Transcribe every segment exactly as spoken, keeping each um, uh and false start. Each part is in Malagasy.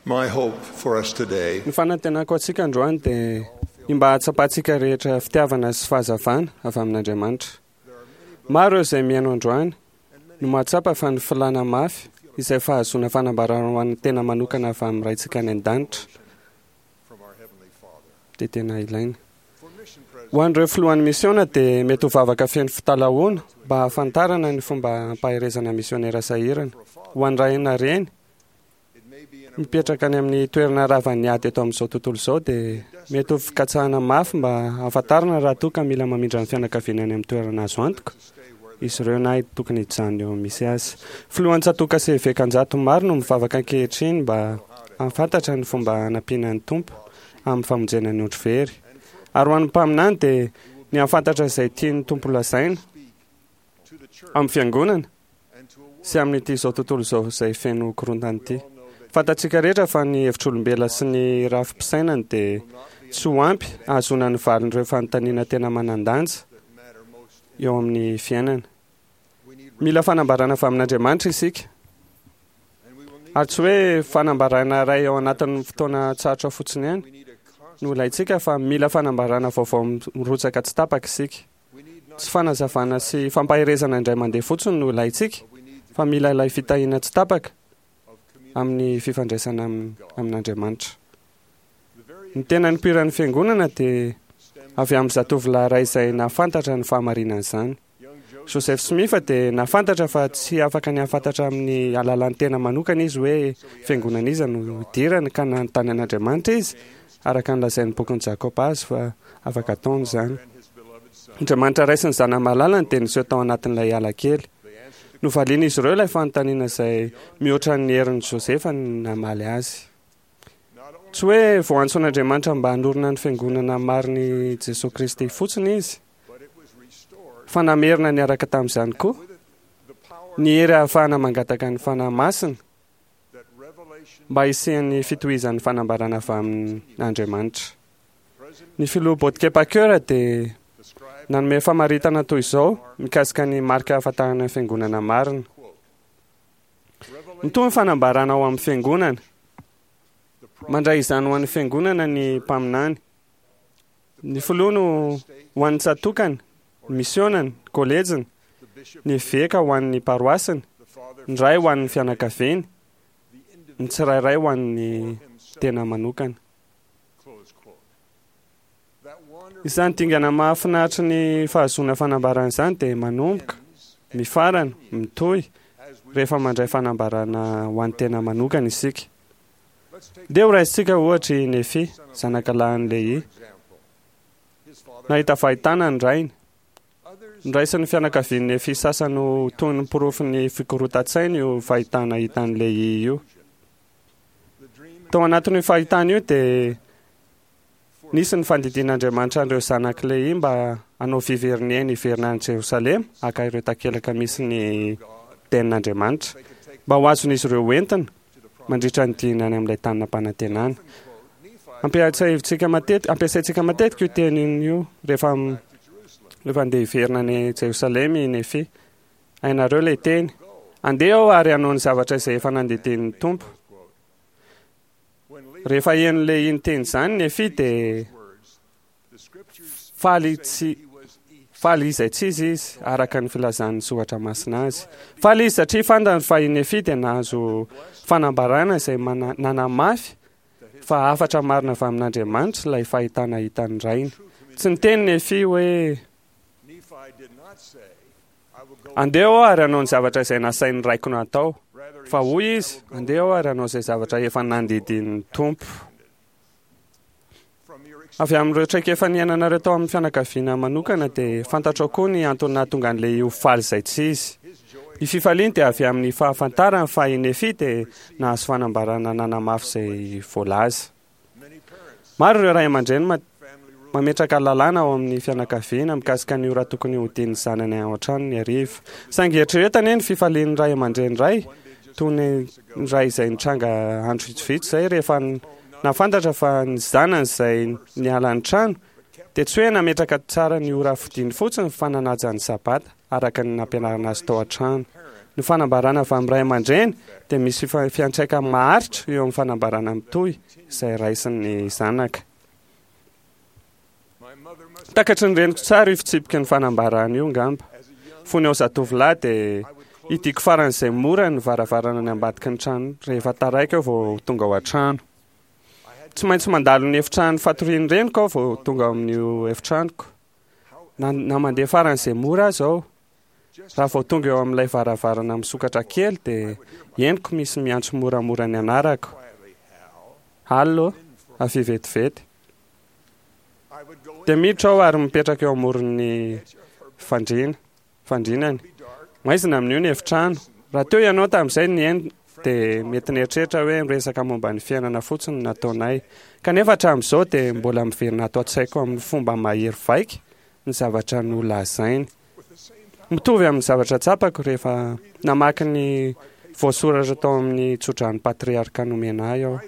My hope for us today Ny fanantenako antsika androany dia ny mba hahatsapantsika rehetra fitiavana sy fahazavana avy amin'Andriamanitra. Maro ireo izay mihaino androany no mahatsapa fa ny filàna mafy izay fahazoana fanambarana ho an'ny tena manokana avy amin'ny Raintsika any an-danitra from our Heavenly Father. dia tena ilaina. For mission Ho an'ireo filohan'ny misiona dia mety ho vavaka feno fitalahoana mba hahafantarana ny fomba hampaherezana misionera sahirana. Ho an'ny ray na reny it may be in a mipetraka any amin'ny toerana ravan'ny ady eto amin'izao tontolo izao dia mety ho fikatsahana mafy mba hahafantarana raha toa ka mila mamindra ny fianakaviana any amin'ny toerana azo antoka to stay where they izy ireo na tokony hijanona eo misy azy. Filohan'ny tsatòka sy eveka an-jato maro no mivavaka ankehitriny mba hahafantatra ny fomba hanampiana ny Tompo amin'ny famonjena ny ondry very. Ary ho an'ny mpaminany dia ny hahafantatra izay tian'ny Tompo lazaina speak to the church amin'ny fiangonana and to a world sy amin'ity izao tontolo izao izay feno korontana ity. we all know that Fantatsika rehetra fa ny hevitr'olombelona sy ny rafi-pisainany dia will not be tsy ho ampy ahazoana ny valin'ireo fanontaniana tena manan-danja that matter most in eo amin'ny fiainana. we need Mila fanambarana avy amin'Andriamanitra isika. and we will need Ary tsy hoe fanambarana iray ao anatin'ny fotoana tsarotra fotsiny ihany we need a constant no ilaintsika fa mila fanambarana vaovao mirotsaka tsy tapaka isika. we need not Tsy fanazavana sy fampaherezana indray mandeha fotsiny no ilaintsika but we need the fa mila ilay fitahiana tsy tapaka of communion amin'ny fifandraisana amin- amin'Andriamanitra. the very Ny tena nipoiran'ny fiangonana dia stems avy amin'ny zatovolahy iray izay nahafantatra ny fahamarinan'izany. young Joseph Joseph Smith dia nahafantatra fa tsy afaka ny hahafantatra amin'ny alalan'ny tena manokana izy hoe fiangonana iza no hidirany ka nanontany an'Andriamanitra izy araka ny lazain'ny bokin'i Jakoba azy fa afaka ataony izany. and his beloved son Andriamanitra Ray sy ny zanany malalany dia niseho tao anatin'ilay ala kely. they answered the Novalian'izy ireo ilay fanontaniana izay mihoatra ny herin'i Joseph ny namaly azy. not only Tsy hoe voaantson'Andriamanitra mba hanorina ny fiangonana marin'i Jesoa Kristy fotsiny izy, but it was restored fa namerina niaraka tamin'izany koa with it the power ny hery ahafahana mangataka ny fanahy masina that revelation mba hisian'ny fitohizan'ny fanambarana avy amin'Andriamanitra. President Ny filoha Botke Packer dia described nanome famaritana toy izao mikasika ny marika ahafantarana ny fiangonana marina. quote revelation Mitohy ny fanambarana ao amin'ny fiangonana. the prophet Mandray izany ho an'ny fiangonana ny mpaminany. Ny filoha no ho an'ny tsatòkany, ny misionany, kolejiny, the bishop ny eveka ho an'ny paroasiny, the father ny ray ho an'ny fianakaviany, the ny tsirairay ho an'ny individual tena manokana. close quote that wonderful Izany dingana mahafinaritra ny fahazoana fanambarana izany dia manomboka, mifarana, mitohy as we rehefa mandray fanambarana ho an'ny tena manokana isika. let's take Ndeha ho raisintsika ohatra i Nefi, zanakalahin'i Lehi. example his father Nahita fahitana ny rainy. others Noraisin'ny fianakavian'i Nefi sasany ho toy ny porofon'ny fikorontan-tsaina io fahitana hitan'i Lehi io. the dream Tao anatin'io fahitana io dia nisy ny fandidian'Andriamanitra an'ireo zanak'i Lehi mba hanao fiveriniaina hiverina any Jerosalema haka ireo takelaka misy ny tenin'Andriamanitra they could take mba ho azon'izy ireo hoentina to the promised mandritra ny diany any amin'ilay tany nampanantenana. quote Nephi Ampiasaintsika matetika ampiasaintsika matetika io teny io rehefa back to Jerusalem rehefa andeha hiverina any Jerosalema i Nefi. Hainareo ilay teny. Andeha aho ary hanao ny zavatra izay efa nandidian'ny Tompo. close quote when Lehi Rehefa henon'i Lehi niteny izany Nefi dia words the scriptures faly say tsy he was faly izay tsy izy izy araka ny filazan'ny soratra masina azy. Faly izy satria fantany fa i Nefi dia nahazo fanambarana izay mana- nanamafy fa hafatra marina avy amin'Andriamanitra ilay fahitana hitan'ny rainy. Tsy niteny Nefi hoe Nephi did not say I will go andeha aho ary hanao ny zavatra izay nasain'ny raiko natao. rather he Fa hoy izy, andeha aho ary hanao izay zavatra efa nandidian'ny Tompo. from your experience Avy amin'ireo traikefa niainanareo tao amin'ny fianakaviana manokana dia fantatrao koa ny antony nahatonga an'ilay ho faly izay tsy izy. his joy Ny fifaliany dia avy amin'ny fahafantarany fa i Nefi dia nahazo fanambarana nanamafy izay voalaza. many parents Maro ireo ray aman-dreny ma- family rules mametraka lalàna ao amin'ny fianakaviana mikasika ny ora tokony hodian'ny zanany ao an-trano ny hariva. Saingy eritreretana ny fifalian'ny ray aman-dreny iray toy ny ray izay nitranga andro vitsivitsy izay rehefa n- nahafantatra fa ny zanany izay niala ny trano dia tsy hoe nametraka tsara ny ora fodiany fotsiny fa nanaja ny sabata araka ny nampianarana azy tao an-trano. Ny fanambarana avy amin'ny ray aman-dreny dia misy fiantraikany maharitra eo amin'ny fanambarana mitohy izay raisin'ny zanaka. Takatry ny reniko tsara io fitsipiky ny fanambarana io ngamba. Fony aho zatovolahy dia hidiako faran'izay mora ny varavarana ny ambadiky ny trano rehefa taraiky aho vao tonga ao an-trano. Tsy maintsy mandalo ny efitrano fatorian'ny reniko aho vao tonga ao amin'io efitranoko. Na, na mandeha faran'izay mora aza aho, raha vao tonga eo amin'ilay varavarana misokatra kely dia henoko misy miantso moramora ny anarako. "Hal ô, avia vetivety." Dia miditra aho ary mipetraka eo amoron'ny fandriana, fandrinany. Maizina amin'io ny efitrano. Raha teo ianao tamin'izay nihaino dia mety nieritreritra hoe miresaka momba ny fiainana fotsiny no nataonay. Kanefa hatramin'izao dia mbola miverina ato an-tsaiko amin'ny fomba mahery vaika ny zavatra nolazainy. Mitovy amin'ny zavatra tsapako rehefa namaky ny voasoratra tao amin'ny tsodran'ny patriarka nomena ahy aho.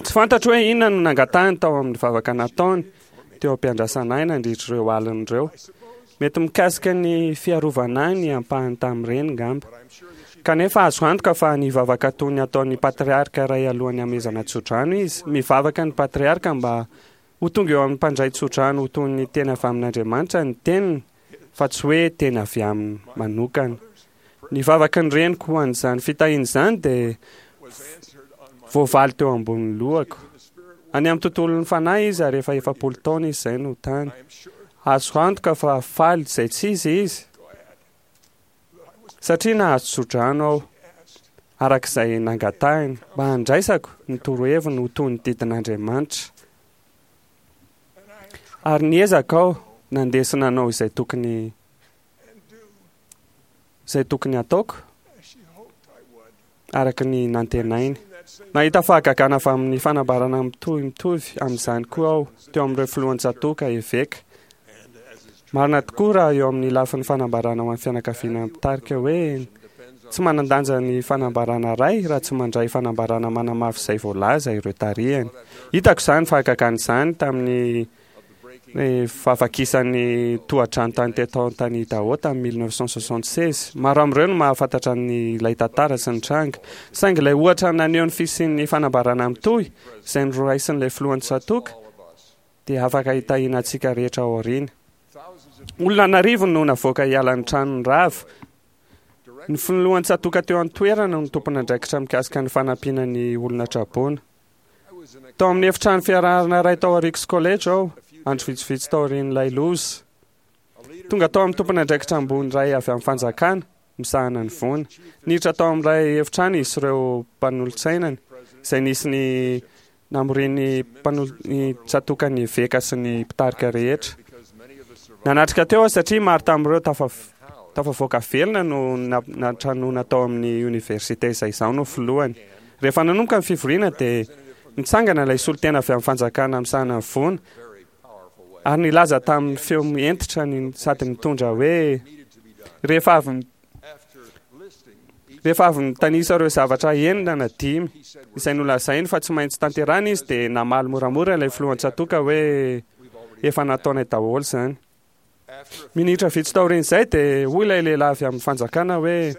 Tsy fantatro hoe inona no nangatahiny tao amin'ny vavaka nataony teo am-piandrasana ahy nandritra ireo alina ireo. Mety mikasika ny fiarovana ahy ny ampahany tamin'ireny ngamba. Kanefa azo antoka fa nivavaka toy ny ataon'ny patriarka iray alohan'ny hamehezana tsodrano izy. Mivavaka ny patriarka mba ho tonga eo amin'ny mpandray tsodrano ho toy ny teny avy amin'Andriamanitra ny teniny, fa tsy hoe teny avy aminy manokana. Ny vavaky ny reniko ho an'izany fitahiana izany dia voavaly teo ambonin'ny lohako. Any amin'ny tontolon'ny fanahy izy ary efa efapolo taona izy izay no tany. Azo antoka fa faly izay tsy izy izy, satria nahazo tsodrano aho, araka izay nangatahiny, mba handraisako ny toroheviny ho toy ny didin'Andriamanitra. Ary niezaka aho nandeha sy nanao izay tokony izay tokony hataoko, araka ny nantenainy. Nahita fahagagana avy amin'ny fanambarana mitohy mitovy amin'izany koa aho teo amin'ireo filohan-tsatoka, eveka. Marina tokoa raha eo amin'ny lafiny fanambarana ho an'ny fianakaviana mpitarika hoe tsy manan-danja ny fanambarana iray raha tsy mandray fanambarana manamafy izay voalaza ireo tarihany. Hitako izany fahagagana izany tamin'ny fahavakisan'ny tohadrano tany Teton tany Idaho tamin'ny mille neuf cent soixante-seize. Maro amin'ireo no mahafantatra ny ilay tantara sy ny tranga. Saingy ilay ohatra naneho ny fisian'ny fanambarana mitohy izay noraisin'ilay filohan'ny tsatoka dia afaka hitahiana antsika rehetra ao aoriana. Olona an'arivony no navoaka hiala ny tranony rava. Ny filohan'ny tsatoka teo an-toerana no tompon'andraikitra mikasika ny fanampiana ny olona traboina. Tao amin'ny efitrano fiarahana iray tao Ricks College aho, andro vitsivitsy taorian'ilay loza. Tonga tao amin'ny tompon'andraikitra ambony iray avy amin'ny fanjakana, misahana ny voina. Niditra tao amin'ilay efitrano izy sy ireo mpanolotsainany, izay nisy ny namorian'ny mpanolo- tsatokan'ny eveka sy ny mpitarika rehetra. Nanatrika teo aho satria maro tamin'ireo tafa- tafavoaka velona no natranoana tao amin'ny oniversite izay izaho no filohany. Rehefa nanomboka ny fivoriana dia nitsangana ilay solontena avy amin'ny fanjakana misahana ny voina ary nilaza tamin'ny feo hentitra ny sady nitondra hoe rehefa avy rehefa avy nitanisa ireo zavatra enina na dimy izay nolazainy fa tsy maintsy tanterahina izy dia namaly moramora ilay filohan-tsatoka hoe efa nataonay daholo izany. Minitra vitsy taorian'izay dia hoy ilay lehilahy avy amin'ny fanjakana hoe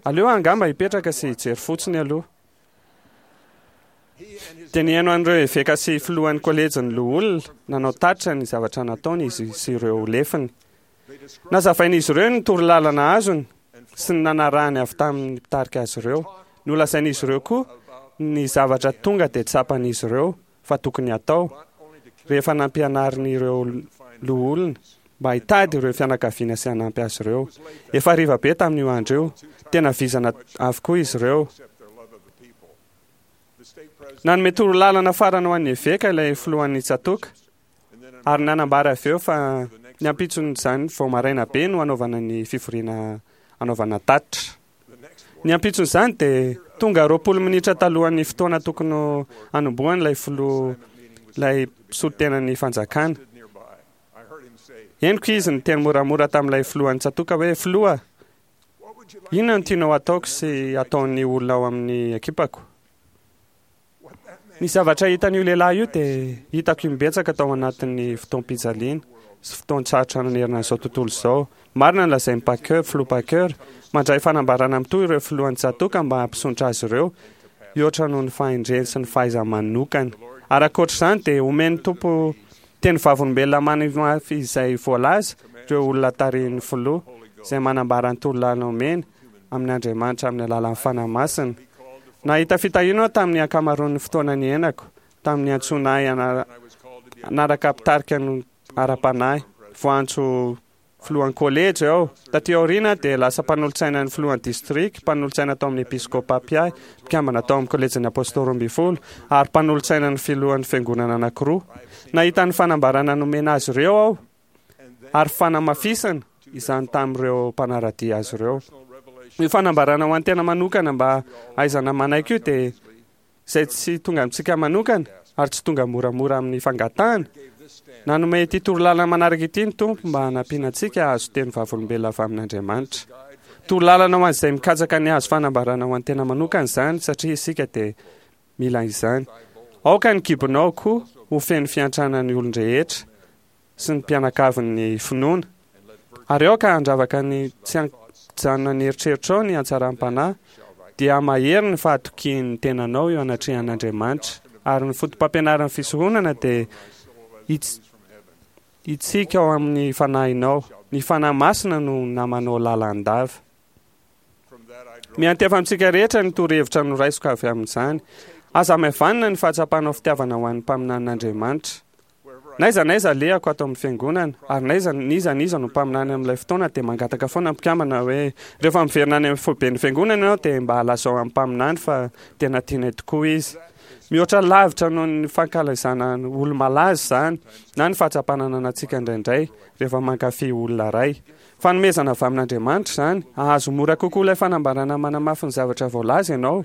aleo angamba hipetraka sy hijery fotsiny aloha. Dia nihaino an'ireo eveka sy filohan'ny kolejin'ny loholona nanao tatitra ny zavatra nataony izy sy ireo lefiny. Nazavain'izy ireo ny torolalana azony sy ny nanarahany avy tamin'ny mpitarika azy ireo. Nolazain'izy ireo koa ny zavatra tonga dia tsapan'izy ireo fa tokony hatao rehefa nampianarin'ireo loholona mba hitady ireo fianakaviana sy hanampy azy ireo. Efa hariva be tamin'io andro io. Tena vizana avokoa izy ireo. Nanome torolalana farany ho an'ny eveka ilay filohan'ny tsatoka ary nanambara avy eo fa ny ampitson'izany vao maraina be no hanaovana ny fivoriana hanaovana tatitra. Ny ampitson'izany dia tonga roapolo minitra talohan'ny fotoana tokony hanombohany ilay filoha ilay solontenan'ny fanjakana. Henoko izy niteny moramora tamin'ilay filohan'ny tsatoka hoe filoha, inona no tianao hataoko sy hataon'ny olona ao amin'ny ekipako? Ny zavatra hitan'io lehilahy io dia hitako imbetsaka tao anatin'ny fotoam-pijaliana. sy fotoan-tsarotra nanerana an'izao tontolo izao. Marina ny lazain'i Packer, filoha Packer, mandray fanambarana mitohy ireo filohan'ny tsatòka mba hampisondrotra azy ireo hihoatra noho ny fahendreny sy ny fahaiza-manokany. Ary ankoatra izany dia omen'ny Tompo teny vavolombelona manamafy izay voalaza ireo olona tarihin'ny filoha izay manambara ny torolalana omeny amin'ny Andriamanitra amin'ny alalan'ny Fanahy Masina. Nahita fitahiana aho tamin'ny ankamaroan'ny fotoana niainako tamin'ny niantsoana ahy hanaraka mpitarika ny ara-panahy. Voantso filohan'ny kolejy aho. Taty aoriana dia lasa mpanolotsaina ny filohan'ny distrika, mpanolotsaina tao amin'ny episkopa mpiahy, mpikambana tao amin'ny kolejin'ny Apôstôly roa ambin'ny folo, ary mpanolotsaina ny filohan'ny fiangonana anankiroa. Nahita ny fanambarana nomena azy ireo aho ary fanamafisana izany tamin'ireo mpanara-dia azy ireo. Io fanambarana ho an'ny tena manokana mba hahaizana manaiky io dia izay tsy tonga amintsika manokana ary tsy tonga moramora amin'ny fangatahana. Nanome ity torolalana manaraka ity ny Tompo mba hanampiana antsika hahazo teny vavolombelona avy amin'Andriamanitra. Torolalana ho an'izay mikatsaka ny hahazo fanambarana ho an'ny tena manokana izany, satria isika dia mila izany. Aoka ny kibonao koa ho feno fiantrana ny olon-drehetra sy ny mpianakavin'ny finoana. Ary aoka handravaka ny tsy an-kijanona ny eritreritrao ny hatsaram-panahy, dia hamahery ny fahatokian'ny tenanao eo anatrehan'Andriamanitra. Ary ny fotopampianaran'ny fisoronana dia hitsiky ao amin'ny fanahinao. Ny Fanahy Masina no namanao lalandava. Miantefa amintsika rehetra ny torohevitra noraisiko avy amin'izany. Aza hamaivanina ny fahatsapanao fitiavana ho an'ny mpaminanin'Andriamanitra. N'aiza n'aiza alehako ato amin'ny fiangonana, ary n'aiza n'iza n'iza no mpaminany amin'ilay fotoana dia mangataka foana ny mpikambana hoe rehefa miverina any amin'ny foiben'ny fiangonana ianao dia mba lazao amin'ny mpaminany fa tena tianay tokoa izy. Mihoatra lavitra noho ny fankalazana olo-malaza izany na ny fahatsapana ananantsika indraindray rehefa mankafy olona iray. Fanomezana avy amin'Andriamanitra izany. Hahazo mora kokoa ilay fanambarana manamafy ny zavatra voalaza ianao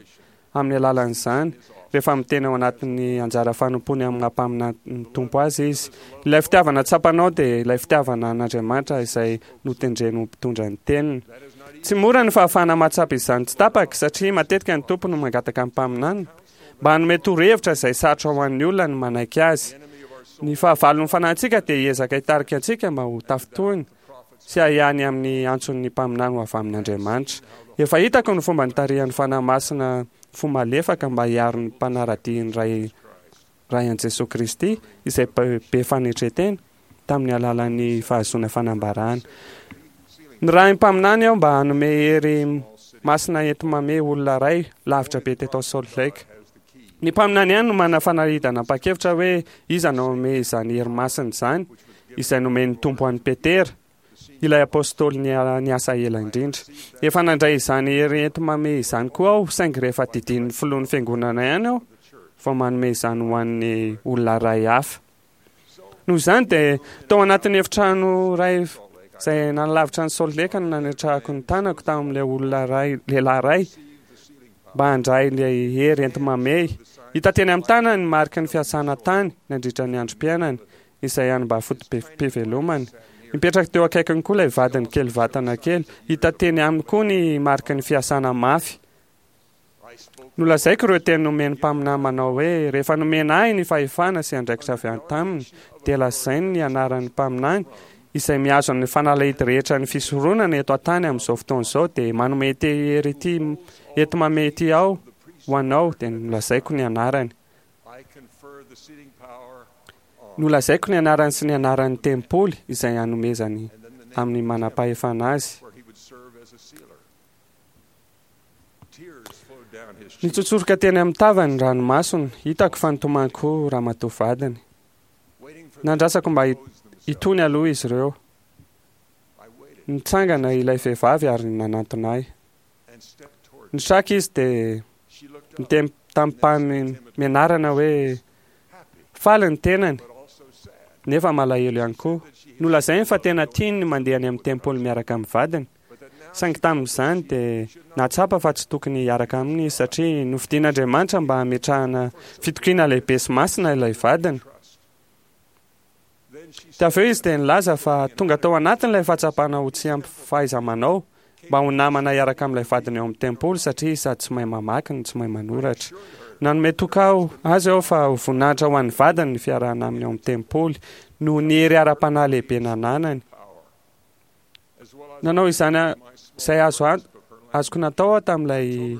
amin'ny alalan'izany, rehefa miteny ao anatin'ny anjara fanompoany amin'ny maha mpaminan'ny Tompo azy izy. Ilay fitiavana tsapanao dia ilay fitiavana an'Andriamanitra izay notendreny ho mpitondra ny teniny. Tsy mora ny fahafahana mahatsapa izany tsy tapaka, satria matetika ny Tompo no mangataka ny mpaminany mba hanome torohevitra izay sarotra ho an'ny olona ny manaiky azy. Ny fahavalon'ny fanahintsika dia hiezaka hitarika antsika mba ho tafintohina sy ahiahy amin'ny antson'ny mpaminany ho avy amin'Andriamanitra. Efa hitako ny fomba nitarihan'ny Fanahy Masina fo malefaka mba hiaro ny mpanara-dia ny Ray Ray an'i Jesoa Kristy izay be fanetren-tena tamin'ny alalan'ny fahazoana fanambarana. Nirahin'ny mpaminany aho mba hanome hery masina enti-mamehy olona iray lavitra be teto Salt Lake. Ny mpaminany ihany no manana fanalahidana am-pakevitra hoe iza no hanome izany hery masina izany, izay nomen'ny Tompo an'i Petera, ilay apostoly niasa ela indrindra. Efa nandray izany hery enti-mamehy izany koa aho, saingy rehefa didian'ny filohan'ny fiangonana ihany aho vao manome izany ho an'ny olona iray hafa. Noho izany dia tao anatin'ny efitrano iray izay nanalavitra an'i Salt Lake no nanetrahako ny tanako tamin'ilay olona iray, lehilahy iray, mba handray ilay hery enti-mamehy. Hita teny amin'ny tanany ny mariky ny fiasana tany nandritra ny androm-piainany, izay hany mba foto-pivelomany. Nipetraka teo akaikiny koa ilay vadiny kely vatana kely. Hita teny aminy koa ny mariky ny fiasana mafy. Nolazaiko ireo teny nomen'ny mpaminany manao hoe, Rehefa nomena ahy ny fahefana sy andraikitra avy any taminy, dia lazainy ny anaran'ny mpaminany, izay mihazo ny fanalahidy rehetra ny fisoronana eto an-tany amin'izao fotoana izao, dia manome ity hery ity enti-mamehy ity aho ho anao, dia nolazaiko ny anarany. Nolazaiko ny anarany sy ny anaran'ny tempoly izay hanomezany amin'ny manam-pahefana azy. Nitsotsoroka teny amin'ny tavany ny ranomasony. Hitako fa nitomany koa ramatoa vadiny. Nandrasako mba hitony aloha izy ireo. Nitsangana ilay vehivavy ary nanantona ahy. Nitraka izy dia niteny tamim-pahamenarana hoe faly ny tenany nefa malahelo ihany koa. Nolazainy fa tena tiany ny mandeha any amin'ny tempoly miaraka amin'ny vadiny. Saingy tamin'izany dia nahatsapa fa tsy tokony hiaraka aminy izy satria nofidin'Andriamanitra mba hametrahana fitokiana lehibe sy masina ilay vadiny. Dia avy eo izy dia nilaza fa tonga tao anatiny ilay fahatsapana ho tsy ampy fahaiza-manao mba ho namana hiaraka amin'ilay vadiny ao amin'ny tempoly satria sady tsy mahay mamaky no tsy mahay manoratra. Nanome toky aho azy aho fa ho voninahitra ho an'ny vadiny ny fiarahana aminy ao amin'ny tempoly noho ny hery ara-panahy lehibe nananany. Nanao izany izay azo azoko natao aho tamin'ilay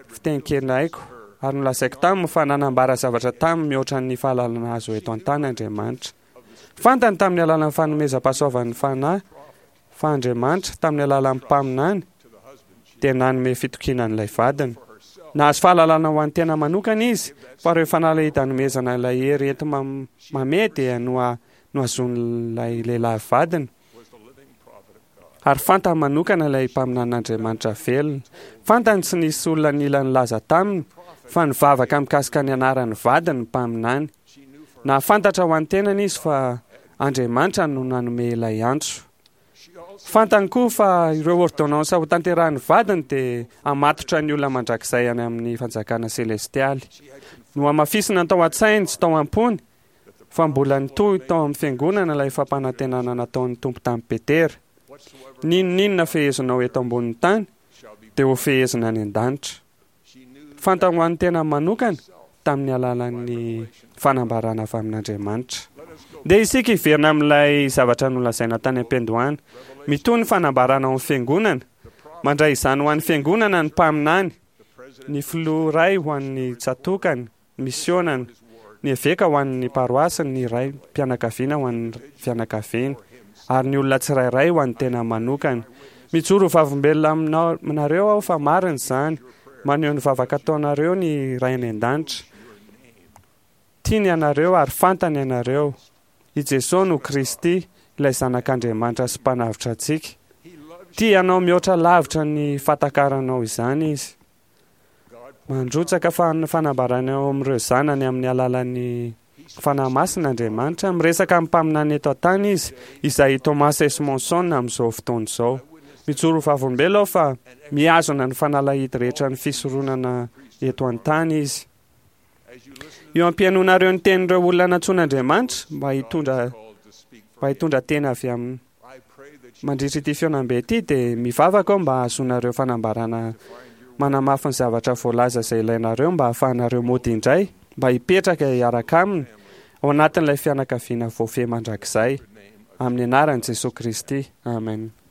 fiteny kely haiko ary nolazaiko taminy fa nanambara zavatra taminy mihoatra ny fahalalana azo eto an-tany Andriamanitra. Fantany tamin'ny alalan'ny fanomezam-pahasoavan'ny Fanahy fa Andriamanitra tamin'ny alalan'ny mpaminany dia nanome fitokiana an'ilay vadiny. Nahazo fahalalana ho an'ny tena manokana izy fa ireo fanalahidy hanomezana ilay hery enti-mamehy dia nohazonin'ilay lehilahy vadiny. Ary fantany manokana ilay mpaminanin'Andriamanitra velona. Fantany tsy nisy olona nila nilaza taminy fa nivavaka mikasika ny anaran'ny vadiny ny mpaminany. Nahafantatra ho an'ny tenany izy fa Andriamanitra no nanome ilay antso. Fantany koa fa ireo ordonnances ho tanterahin'ny vadiny dia hamatotra ny olona mandrakizay any amin'ny fanjakana selestialy. Nohamafisina tao an-tsainy sy tao am-pony fa mbola nitohy tao amin'ny fiangonana ilay fampanantenana nataon'ny Tompo tamin'i Petera. N'inon'inona fehezinao eto ambonin'ny tany dia ho fehezina any an-danitra. Fantany ho an'ny tena manokana tamin'ny alalan'ny fanambarana avy amin'Andriamanitra. Ndeha isika hiverina amin'ilay zavatra nolazaina tany am-piandohana. Mitohy ny fanambarana ao amin'ny fiangonana. Mandray izany ho an'ny fiangonana ny mpaminany, ny filoha iray ho an'ny tsatokany, misionany, ny eveka ho an'ny paroasiny, ny raim-pianakaviana ho an'ny fianakaviany, ary ny olona tsirairay ho an'ny tena manokana. Mijoro ho vavolombelona aminareo aho fa marina izany. Maneho ny vavaka ataonareo ny Ray any an-danitra. Tiany ianareo ary fantany ianareo. I Jesoa no Kristy, ilay Zanak'Andriamanitra sy Mpanavotra antsika. Tia anao mihoatra lavitra ny fahatakaranao izany Izy. Mandrotsaka fanambarana eo amin'ireo zanany amin'ny alalan'ny Fanahy Masina Andriamanitra. Miresaka amin'ny mpaminany eto an-tany Izy, izay i Thomas S. Monson amin'izao fotoana izao. Mijoro ho vavolombelona aho fa mihazona ny fanalahidy rehetra ny fisoronana eto an-tany Izy. Eo am-pihainoanareo ny tenin'ireo olona nantsoin'Andriamanitra mba hitondra mba hitondra teny avy aminy mandritra ity fihaonambe ity dia mivavaka aho mba hahazoanareo fanambarana manamafy ny zavatra voalaza izay ilainareo mba hahafahanareo mody indray mba hipetraka hiaraka aminy ao anatin'ilay fianakaviana voafehy mandrakizay amin'ny anaran'i Jesoa Kristy. Amen.